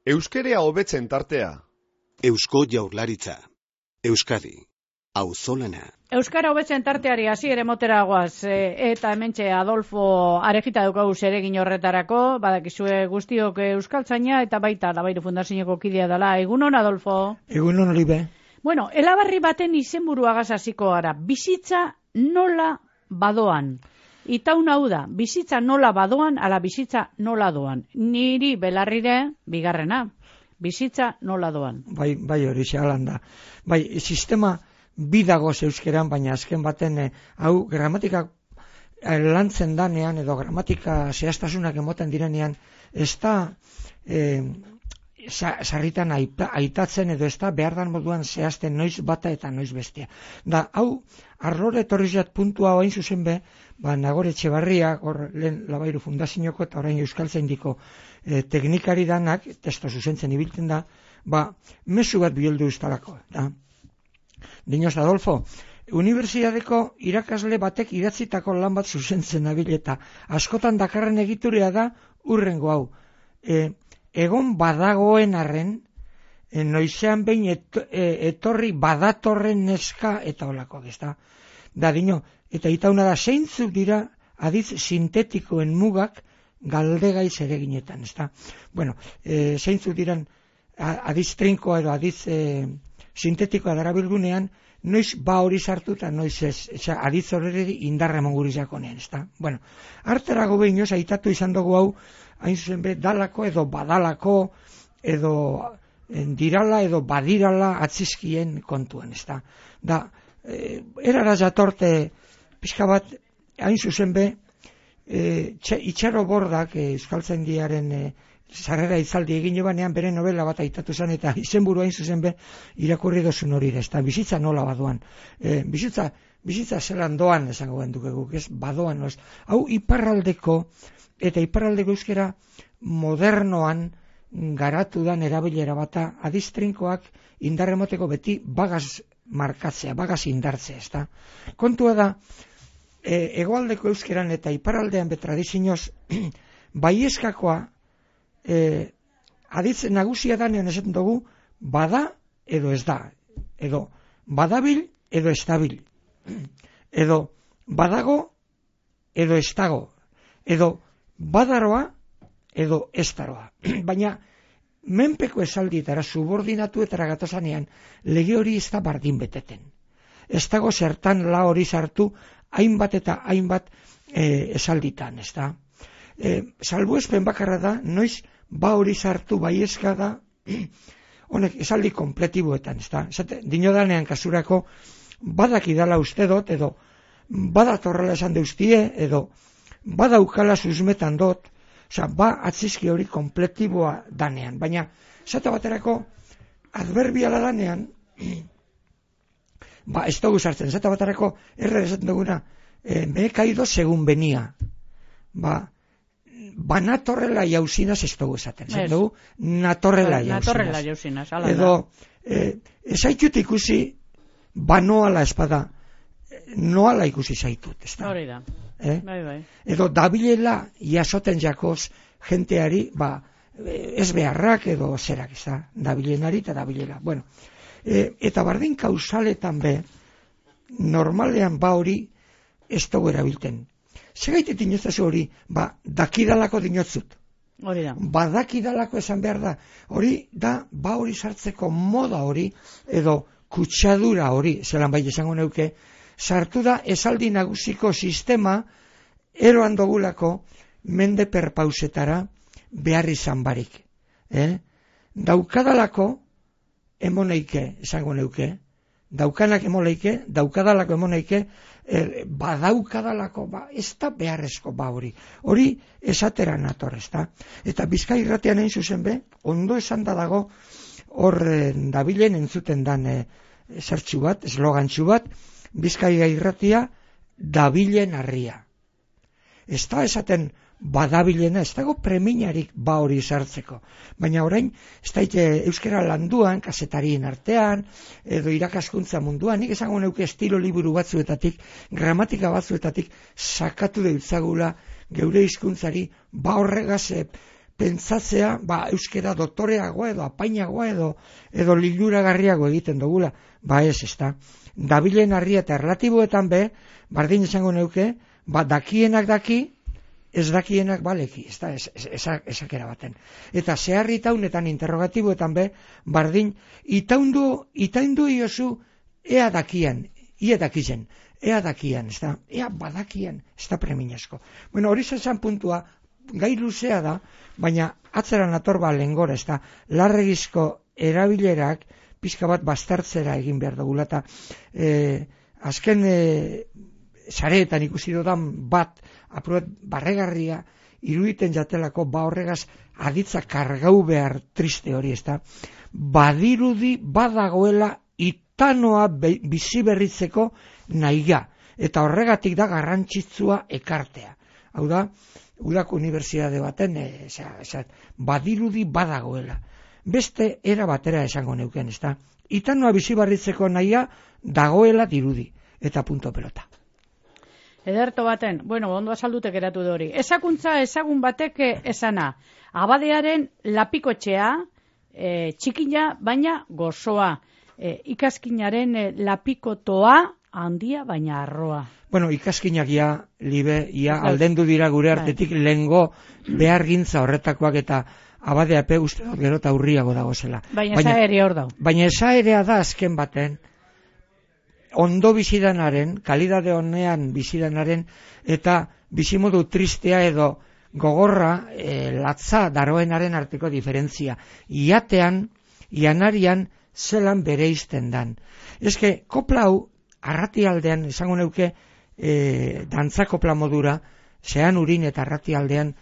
Euskerea hobetzen tartea. Eusko Jaurlaritza. Euskadi. Auzolana. Euskara hobetzen tarteari hasier emotera goaz, eta hementxe Adolfo Arejita daukagu zeregin horretarako, badakizue guztiok euskaltzaina eta baita Labairu Fundazioko kidea dela. Egunon, Adolfo? Egunon, Olibe. Bueno, elabarri baten izenburuagaz hasiko gara. Bizitza nola badoan. Itaun hau da, bizitza nola badoan, ala bizitza nola doan. Niri belarrire, bigarrena, bizitza nola doan. Bai hori xalan da. Bai, sistema bidagoz euskeran, baina azken baten hau gramatika lantzen danean, edo gramatika zehaztasunak emoten direnean, ez da sarritan aitatzen edo ez da behar dan moduan zehazten noiz bata eta noiz bestea. Da, hau, arlore etorrizat puntua hain zuzen be, Nagore Etxebarria, hor lehen Labairu Fundazioko eta orain Euskaltzaindiko teknikari danak, testo zuzentzen ibiltzen da, mezu bat bioldu ustalako. Dinoz, Adolfo, unibertsitateko irakasle batek idatzitako lan bat zuzentzen nabil eta askotan dakarren egiturea da urrengo hau. Egon badagoen arren, noizean behin etorri badatorren neska eta olakoak, ez da? Da, dino, eta itauna da, zeintzuk dira aditz sintetikoen mugak galdegai zereginetan, ez da? Bueno, zeintzuk diran aditz trinkoa edo aditz sintetikoa darabilgunean, noiz hori sartu eta noiz ez, aditz horreri indarra mongurizakonean, ez da? Bueno, harterago behinoz, aitatu izan dugu hau, hain zuzen be, dalako edo badalako, edo dirala edo badirala atzizkien kontuan, ez da? Da, erara jatorte pixka bat, hain zuzen be, Itxaro Bordak, Euskaltzaindiaren sarrera itzaldi egin banean bere novela bat aitatu zen, eta izenburu hain zuzen be, irakurri dozun hori da, ez da, bizitza nola badoan. Bizitza zelan doan, esango genduk eguk, ez, badoan, ez. Hau iparraldeko, eta iparraldeko euskera modernoan garatu dan erabilera bata, adiztrinkoak indarremoteko beti bagaz markatzea, bagaz indartzea, ez da. Kontua da, hegoaldeko euskeran eta iparraldean betradizinoz, baieskakoa, aditz nagusia danean esaten dugu, bada edo ez da, edo badabil edo ez dabil, edo badago edo ez dago, edo badaroa edo ez daroa. Baina menpeko esaldietara subordinatuetara gatozanean lege hori ez da bardin beteten. Ez dago zertan la hori sartu hainbat eta hainbat esalditan, ez da. Salbuespen bakarra da, noiz hori sartu baieska da, honek esaldi kompletiboetan, ez da. Dinodanean kasurako badakidala uste dut, edo badatorrela esan deustie, edo badaukala susmetan dut, atzizki hori kompletiboa danean. Baina, zata baterako, adverbiala danean, ez dugu sartzen, zata baterako, erre esaten duguna, me he caído según venía. Natorrela jauzinaz ez dugu esaten. Zaten dugu, natorrela jauzinaz. Edo, ezaitut ikusi, noala espada, noala ikusi zaitut. Hori da. Edo dabilela jasoten jakoz jenteari, ez beharrak edo zerak, ez da, dabilenari eta dabilela. Bueno, eta bardin kausaletan be, normalean hori ez dugu erabilten. Segaitet inozazu hori, dakidalako dinotzut. Hori da. Badakidalako esan behar da. Hori da, hori sartzeko moda hori, edo kutsadura hori, zelan bai esango neuke, sartu da esaldi nagusiko sistema eroan dogulako mende perpausetara behar izan barik. Daukadalako emoneike, esango neuke, daukanak emoneike, daukadalako emoneike, badaukadalako, ez da beharrezko hori. Hori esatera nator, ez da. Eta Bizkai irratian egin zuzen be, ondo esan da dago, hor dabilen entzuten dan zertxu bat, eslogantxu bat, Bizkai irratia dabilen harria. Ez da esaten badabilena, ez dago preminarik hori sartzeko. Baina orain, ez da euskera landuan, kasetarien artean, edo irakaskuntza munduan, nik esango neuke estilo liburu batzuetatik, gramatika batzuetatik, sakatu deutzagula geure hizkuntzari, horregaz pentsatzea, euskera doktoreagoa edo apainagoa edo liluragarriago egiten dugula. Ez da. Dabilen harria eta erlatiboetan bardin izango neuke, dakienak daki, ez dakienak baleki, ez da, esakera baten. Eta zeharri itaunetan, interrogatiboetan bardin, itaundu iozu, ea dakian, ia dakizen, ea dakian, ez da, ea badakian, ez da preminasko. Bueno, hori zen puntua, gai luzea da, baina atzeran atorba lehengora, ez da, larregizko erabilerak, pizka bat bastartzera egin behar dugula, eta azken sareetan ikusi dudan bat, apurat barregarria, iruditen jatelako, horregaz aditza kargau behar triste hori, ez da, badirudi badagoela itanoa bizi berritzeko nahiga, eta horregatik da garrantzitsua ekartea. Hau da, Udako unibertsitate baten, badirudi badagoela. Beste era batera esango neuken, ez da. Itanoa bizi berritzeko nahia dagoela dirudi, eta punto pelota. Ederto baten, ondo azaldutek eratu dori. Ezakuntza ezagun batek esana, abadearen lapikotxea, txikina, baina gozoa. Ikaskinaren lapikotoa, handia, baina arroa. Ikaskinak aldendu dira gure artetik lehengo behar gintza horretakoak eta abadeape uste dut gero eta urriago dago zela. Baina esaerea hor dau. Baina esaerea da azken baten, ondo bizidanaren, kalidade honean bizidanaren, eta bizimodu tristea edo gogorra, latza daroenaren arteko diferentzia. Iatean, ianarian, zelan bere izten dan. Eske, kopla hau, arratialdean, esango neuke, dantza kopla modura, zean urin eta arratialdean,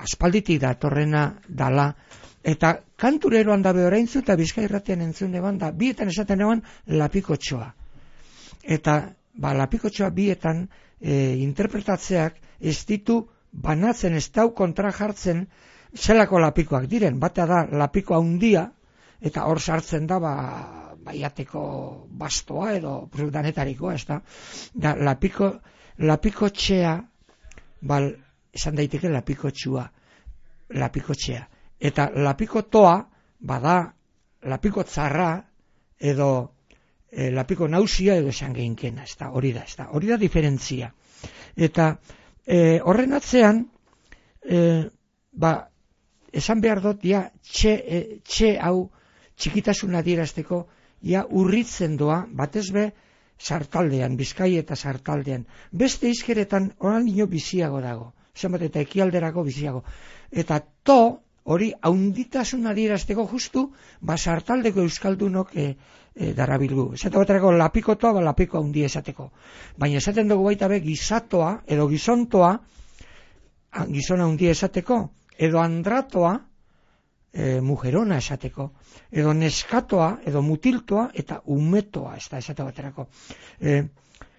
aspalditik datorrena dala, eta kantureroan dabe oraintzu eta Bizkairratian entzun eban da, bietan esaten eban lapikotxoa. Eta lapikotxoa bietan interpretatzeak ez ditu banatzen, ez dau kontra jartzen zelako lapikoak diren. Batea da lapiko handia, eta hor sartzen da baiateko bastoa edo danetarikoa, ez da. Da lapikotxea, esan daiteke lapikotxea. Eta lapikotoa, bada lapiko tzarra edo lapiko nausia edo esan gehinkena, ez da, hori da diferentzia. Eta horren atzean, esan behar dut, txe hau txikitasuna adierazteko, urritzen doa, batez be, sartaldean, Bizkai eta sartaldean. Beste izkeretan oraino biziago dago, zenbat eta ekialderako biziago. Eta hori haunditasun adierazteko justu, sartaldeko euskaldunok darabilgu. Esate baterako lapikotoa, lapiko haundi esateko. Baina esaten dugu baita be gizatoa, edo gizontoa, gizona haundi esateko, edo andratoa, mujerona esateko, edo neskatoa, edo mutiltoa, eta umetoa, ez da esate baterako.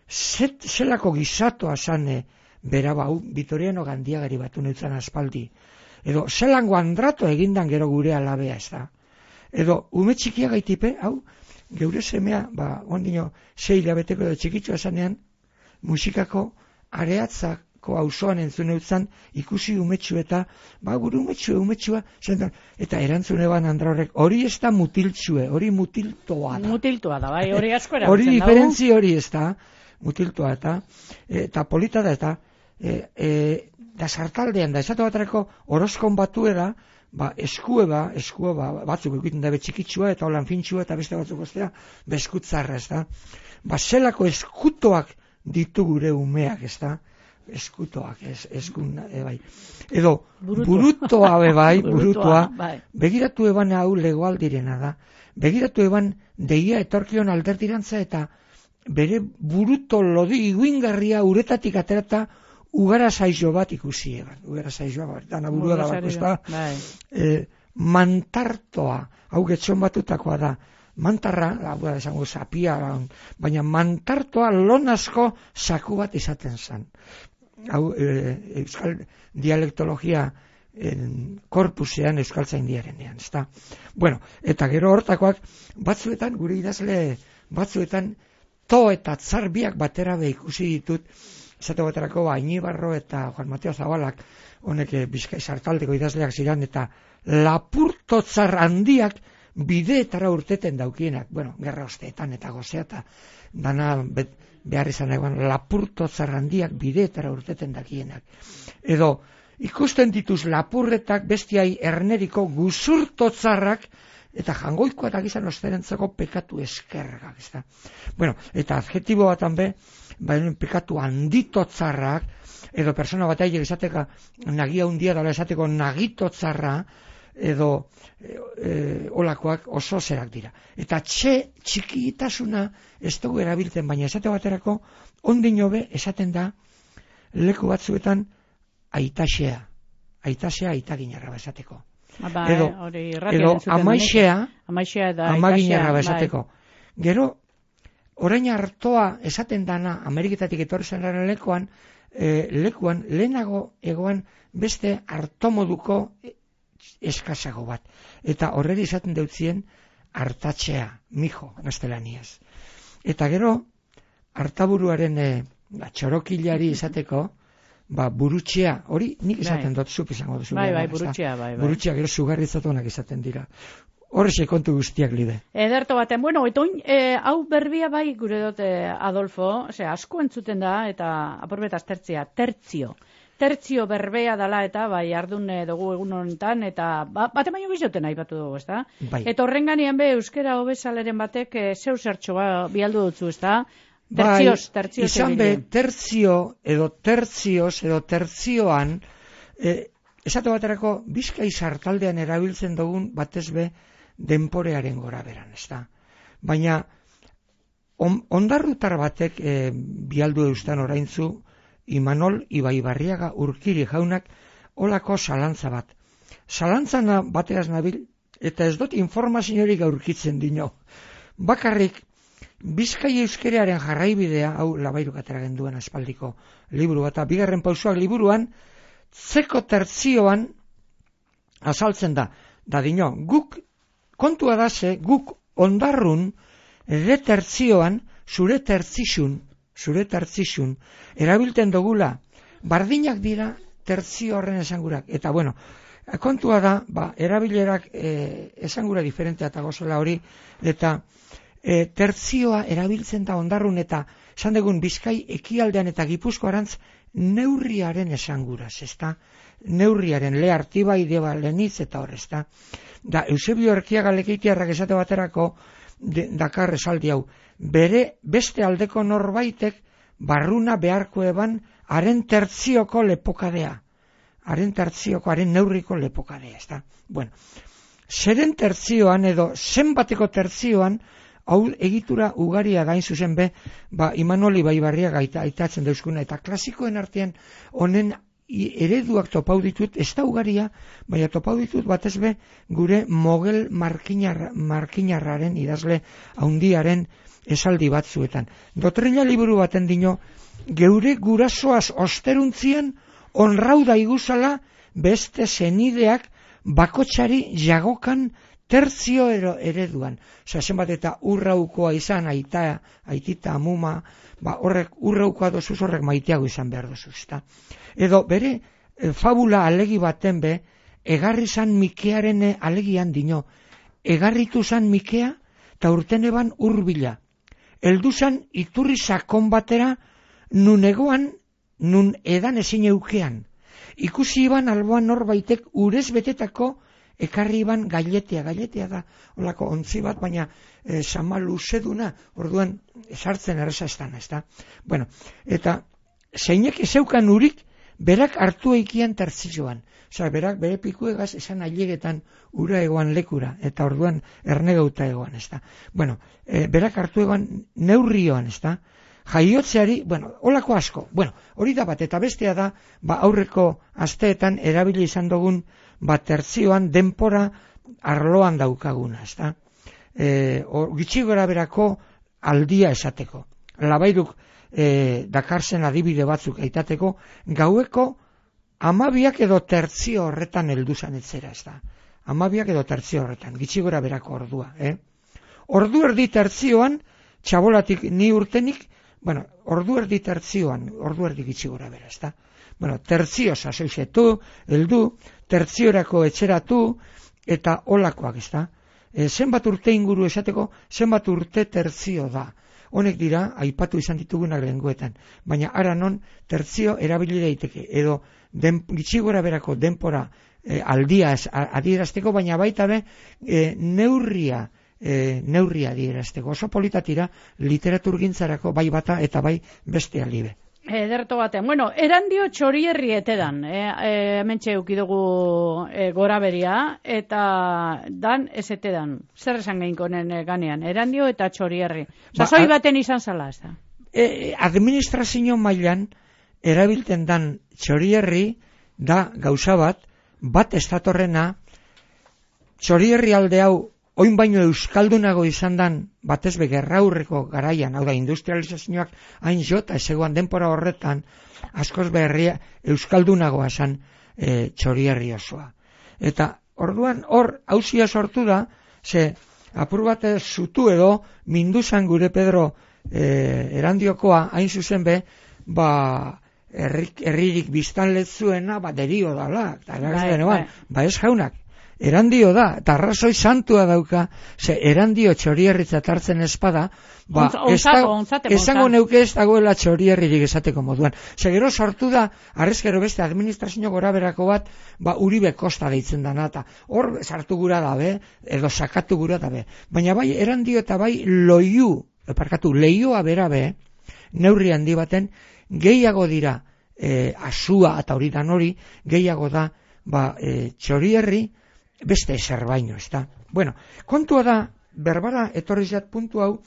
Zelako gizatoa zane bera Vitoriano Gandiagari batu neutzan aspaldi, edo zelango andrato egindan gero gure alabea, ez da. Edo ume txikia gaitipe, geure semea, ondino 6 hilabeteko edo txikitsua zanean, musikako areatzako auzoan entzun eutzan, ikusi umetxu eta, gure umetxua, eta erantzun eban andra horrek, hori ez da mutiltxue, hori mutiltoa da. Mutiltoa da, hori asko erabiltzen dago. Hori diferentzi hori ez da, mutiltoa eta polita da, da sartaldean da, esatu batarako horoskon batuera, eskueba, batzuk egiten da betxikitsua eta holan fintxua eta beste batzuk ostea, beskutzarra, ez da. Zelako eskutoak ditu gure umeak, ez da. Eskutoak, edo burutoa burutoa, begiratu eban hau legoaldirena da, begiratu eban deia etorkion alderdirantza eta bere buruto lodi iguingarria uretatik aterata ugara zaizo bat ikusi eban, ugara zaizoa bat, dana burua da bat, ez da, mantartoa, hau getxon batutakoa da, mantarra, esango zapia, baina mantartoa lonasko saku bat izaten zen. Hau, euskal dialektologia korpusean euskaltzaindiarenean, ez da. Bueno, eta gero hortakoak, batzuetan, gure idazle, batzuetan, to eta tzarbiak batera ikusi ditut, esate baterako Ainibarro eta Juan Mateo Zabalak, honek Bizkai sartaldeko idazleak ziren, eta lapurtotzar handiak bideetara urteten daukienak, bueno, gerra osteetan eta gozea, eta dana behar izan egon, lapurtotzar handiak bideetara urteten dakienak. Edo, ikusten dituz lapurretak bestiai erneriko guzurtotzarrak, eta jangoikoa eta gizan osterentzako pekatu eskergak, ezta. Bueno, eta adjetibo batan pekatu handitotzarrak, edo persona bat aile izateka nagia hundia dala esateko nagitotzarra, edo olakoak oso zerak dira. Eta txikitasuna ez dugu erabiltzen, baina esate baterako ondino be esaten da leku batzuetan aitasea aitaginarra esateko. Edo amaixea amaginarra esateko. Gero, orain hartoa esaten dana Ameriketatik etorri zenaren lekuan lehenago egoan beste hartomoduko eskasago bat. Eta horreri esaten deutzien hartatzea, mijo, gaztelaniaz. Eta gero, hartaburuaren txorokilari esateko, burutxea, hori nik esaten dut, zup izango duzu. Bai, burutxea, bai. Burutxea, gero sugarrizatuanak esaten dira. Horre kontu guztiak lide. Ederto baten, bueno, hau berbia bai gure dut, Adolfo, asko entzuten da, eta aporbetaz tertzio berbea dala eta bai ardun dugu egun honetan, eta bate baino bizoten aipatu dugu, ezta? Bai. Eta horrenganian euskera hobesaleren batek zeu zertxo bialdu dutzu, ezta? Tertzioz izan be, tertzio edo tertzioan, esate baterako Bizkai sartaldean erabiltzen dugun batez be denporearen gora beran, ezta? Baina, ondarrutar batek bialdu eustan oraintzu, Imanol Ibaibarriaga Urkiri jaunak olako zalantza bat. Zalantzana bateaz nabil, eta ez dut informaziorik aurkitzen dino. Bakarrik, Bizkai euskerearen jarraibidea, hau Labairuk atera genduen aspaldiko liburu bat, bigarren pausoak liburuan, zeko tertzioan azaltzen da. Da dino, guk, kontua da ze, guk ondarrun, ere tertzioan, zure tertzixun, erabilten dugula, bardinak dira tertzio horren esangurak. Eta bueno, kontua da, erabilerak esangura diferentea eta gozela hori, eta tertzioa erabiltzen da ondarrun eta esan dugun Bizkai ekialdean eta Gipuzkoarantz neurriaren esanguraz, ezta? Neurriaren, le Artibai, Deba Lenitz eta hor, ezta? Da, Eusebio Erkiaga Lekeitiarrak esate baterako dakar esaldi hau, beste aldeko norbaitek barruna beharko eban haren tertzioko lepokadea. Haren neurriko lepokadea, ezta? Bueno, zeren tertzioan edo zenbateko tertzioan hau egitura ugaria gain zuzen be, Imanol Ibaibarriaga aitatzen dauzkuna, eta klasikoen artean honen ereduak topau ditut, ez da ugaria, baina topau ditut batez be gure Mogel Markinarraren idazle haundiaren esaldi batzuetan. Dotrina liburu baten dino, geure gurasoaz osteruntzian onrauda iguzala beste zenideak bakotsari jagokan tertzio ereduan. Osea, zenbat eta urraukoa izan, aitita, amuma, horrek urraukoa dozuz, horrek maiteago izan behar dozuz. Edo bere fabula alegi baten be, egarri zan Mikearen alegian dino. Egarritu zan Mikea, eta urten eban urbila. Eldu zan iturri sakon batera, nun egoan, nun edan ezin eukean. Ikusi iban alboan norbaitek urez betetako ekarri iban gailetea da, olako ontzi bat, baina sama luzeduna, orduan sartzen erreza estan, ez da? Bueno, eta zeinek ezeukan urik, berak hartu eikian tertzioan. Osea, berak bere pikuegaz esan ailegetan ura egoan lekura, eta orduan ernegauta egoan, ez da? Bueno, berak hartu egoan neurrioan, ez da? Jaiotzeari, bueno, olako asko. Bueno, hori da bat, eta bestea da, aurreko asteetan erabili izan dugun, tertzioan denpora arloan daukaguna, ez da? Gitxi gora berako aldia esateko. Labairuk dakarzen adibide batzuk aitateko, gaueko 12 edo tertzio horretan helduzan etzera, ez da? 12 edo tertzio horretan, gitxi gora berako ordua, Ordu erdi tertzioan, txabolatik ni urtenik, bueno, ordu erdi tertzioan, ordu erdi gitxi gora bera, ezta? Bueno, tertzio sasoizetu, heldu, tertziorako etxeratu, eta olakoak, ezta? Zenbat urte inguru esateko, zenbat urte tertzio da. Honek dira, aipatu izan ditugunak lehengoetan. Baina ara non tertzio erabili daiteke, edo gitxi gora berako denpora aldia adierazteko, baina baita be neurria adierazteko. Oso politatira literaturgintzarako bai bata eta bai beste aldibe. Ederto batean. Bueno, erandio Txorierri etedan. Hementxe eukidugu gora beria, eta dan ez etedan. Zer esan geinkonen ganean? Erandio eta Txorierri. Sasoi baten izan zala, ez da? Administrazio mailan erabilten dan Txorierri da gauza bat estatorrena, Txorierri alde hau oin baino euskaldunago izan dan batez be gerraurreko garaian, hau da industrializazioak hain jota ezegoan denpora horretan, askoz berria euskaldunagoa esan Txorierri osoa. Eta orduan hor hauzia sortu da, ze apur bat zutu edo minduzan gure Pedro Erandiokoa hain zuzen be, herririk biztanletzuena derio dala, eta ez jaunak. Erandio da, eta arrazoi santua dauka, ze Erandio Txorierritzat hartzen espada, esango neuke ez dagoela Txorierririk esateko moduan. Ze gero sortu da, arrezkero beste administrazio gora berako bat, Uribe Kosta deitzen dana, eta hor sartu gura dabe, edo sakatu gura dabe. Baina bai Erandio eta bai Leioa berabe, neurri handi baten, gehiago dira, asua eta hori dan hori, gehiago da, Txorierri, beste ezer baino, ez da. Bueno, kontua da, berbara etorrizat puntu hau,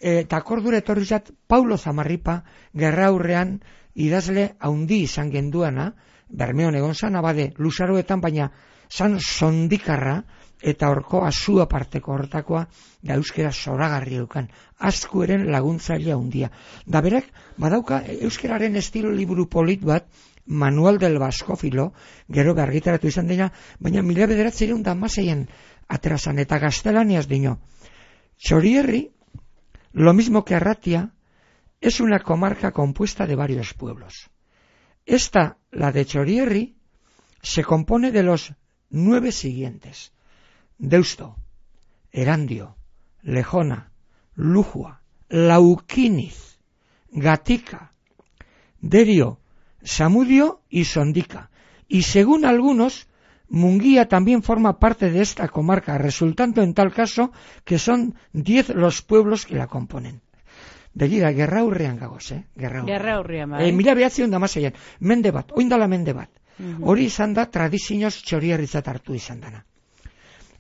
eta akordura etorrizat Paulo Zamarripa gerraurrean idazle haundi izan genduana, Bermeon egon zan, abade, luzaroetan, baina zan sondikarra, eta horko asua parteko hortakoa, da euskera zoragarri eukan, askueren laguntzaile haundia. Da berak, badauka, euskeraren estilo liburu polit bat, Manual del Baskofilo, gero argitaratu izan dena, baina 1916 aterazan eta gaztelaniaz dino. Txorierri, lo mismo que Arratia, es una comarca compuesta de varios pueblos. Esta, la de Txorierri, se compone de los 9 siguientes: Deusto, Erandio, Lejona, Lujua, Lauquiniz, Gatica, Derio, Samudio y Sondica, y según algunos, Munguía también forma parte de esta comarca, resultando en tal caso que son 10 los pueblos que la componen. Begira, gerraurrean gagoz, Gerraurrean, bai. 1916, mende bat, oindala mende bat. Hori izan da tradizioz Txorierritzat hartu izan dana.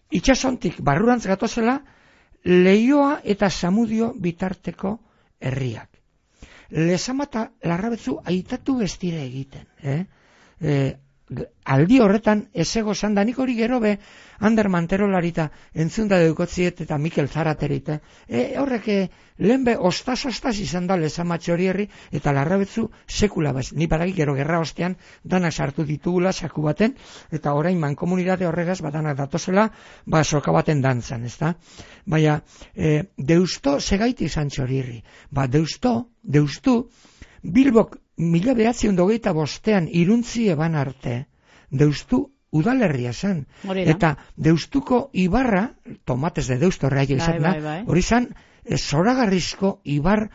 Itxasontik barrurantz gatozela, Leioa eta Samudio bitarteko herriak. Lezamata Larrabetzu aitatu bestire egiten. Aldi horretan ezego zanda, nik hori gero be Ander Manterolarita entzunda deukotziet eta Mikel Zaraterite. Horrek lehen be ostaz izan da Lezama Txorierri eta Larrabetzu sekula bez. Ni badaki gero gerra ostean danak sartu ditugula saku baten, eta orain mankomunitate horregaz danak datozela soka baten dantzan, ezta? Baina, Deusto segaiti izan Txorierri. Deustu, Bilbok 1925 iruntzi eban arte, Deustu udalerria zen. Eta Deustuko ibarra, tomates de Deusto horreia izan da, hori zen, zoragarrizko ibar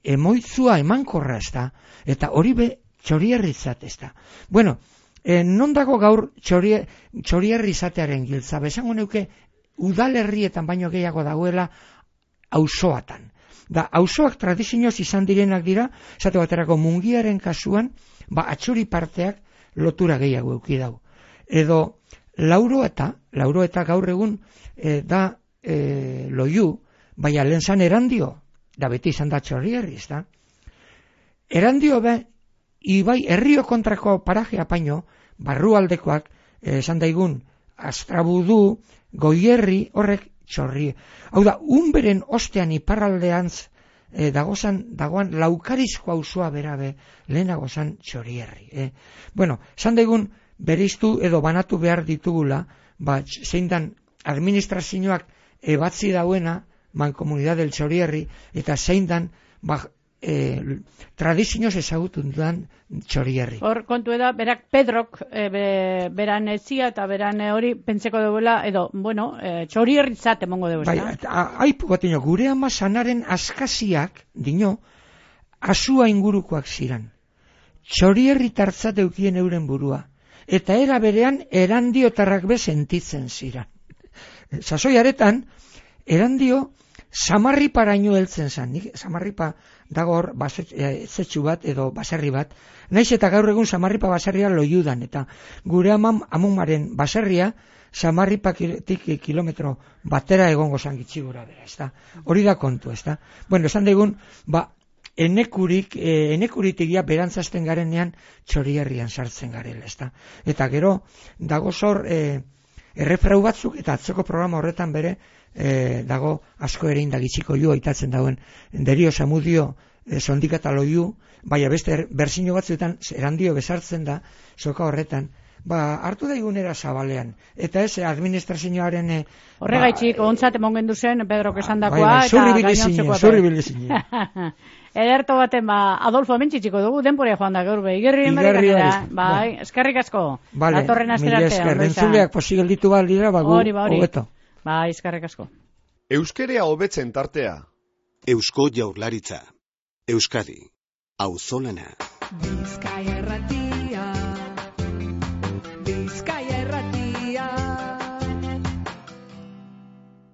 emoitzua emankorra ez da, eta hori be Txorierritzat ez da. Bueno, non dago gaur Txorierrizatearen giltza, besango neuke udalerrietan baino gehiago dagoela auzoatan. Da, auzoak tradizioz izan direnak dira, esate baterako Mungiaren kasuan, atxuri parteak lotura gehiago euki dau. Edo, lauroeta gaur egun da Loiu, baina lehen zan Erandio, da beti izan da Txorierri, ez da? Erandio be, ibai herrio kontrako paraje apaino, barrualdekoak, esan daigun, Astrabudu, Goierri, horrek Txorri. Hau da, Unberen ostean iparraldeantz dagoan Laukarizko auzoa berabe lehenago zan Txorierri. Bueno, esan daigun bereiztu edo banatu behar ditugula, zein dan administrazioak ebatzi dauena, Mancomunidad del Txorierri, eta zein dan, tradizioz ezagutun dudan Txorierri. Hor kontu da, berak Pedrok beran etzia eta beran hori pentseko duela, edo, bueno, Txorierritzat emongo dugu. Bai, aipu bat dino, gure ama sanaren askaziak, dino, asua ingurukoak ziran. Txorierri tartzat eukien euren burua. Eta era berean, erandiotarrak be sentitzen ziran. Sasoiaretan, erandio, Samarriparaino heltzen zan. Samarripa dago hor etzetxu bat edo baserri bat. Naiz eta gaur egun Samarripa baserria loiudan. Eta gure amumaren baserria Samarripatik kilometro batera egongo zan gitxigura bera. Ezta? Hori da kontu. Ezta? Bueno, esan degun, enekuritik berantzazten garenean Txorierrian sartzen garela. Ezta? Eta gero, dago zor errefrau batzuk eta atzoko programa horretan bere dago asko ere indagitxiko ju aitatzen dauen derio samudio sondikata loiu, baina beste berzino batzuetan erandio besartzen da soka horretan, hartu daigunera zabalean, eta ez administrazioaren horregaitxik ontzat emongen duzen Pedrok esandakoa eta gainontzekoa. Zurri bilizine. Ederto baten, Adolfo hementxitxiko dugu, denporia joan da gaur be, igerrien berekanera. Bai, eskerrik asko. Datorren asterarte. Entzuleak posigal ditu baldira, hobeto. Bai, eskerrik asko. Euskerea hobetzen tartea. Eusko Jaurlaritza. Euskadi. Auzolana. Bizkaia Irratia.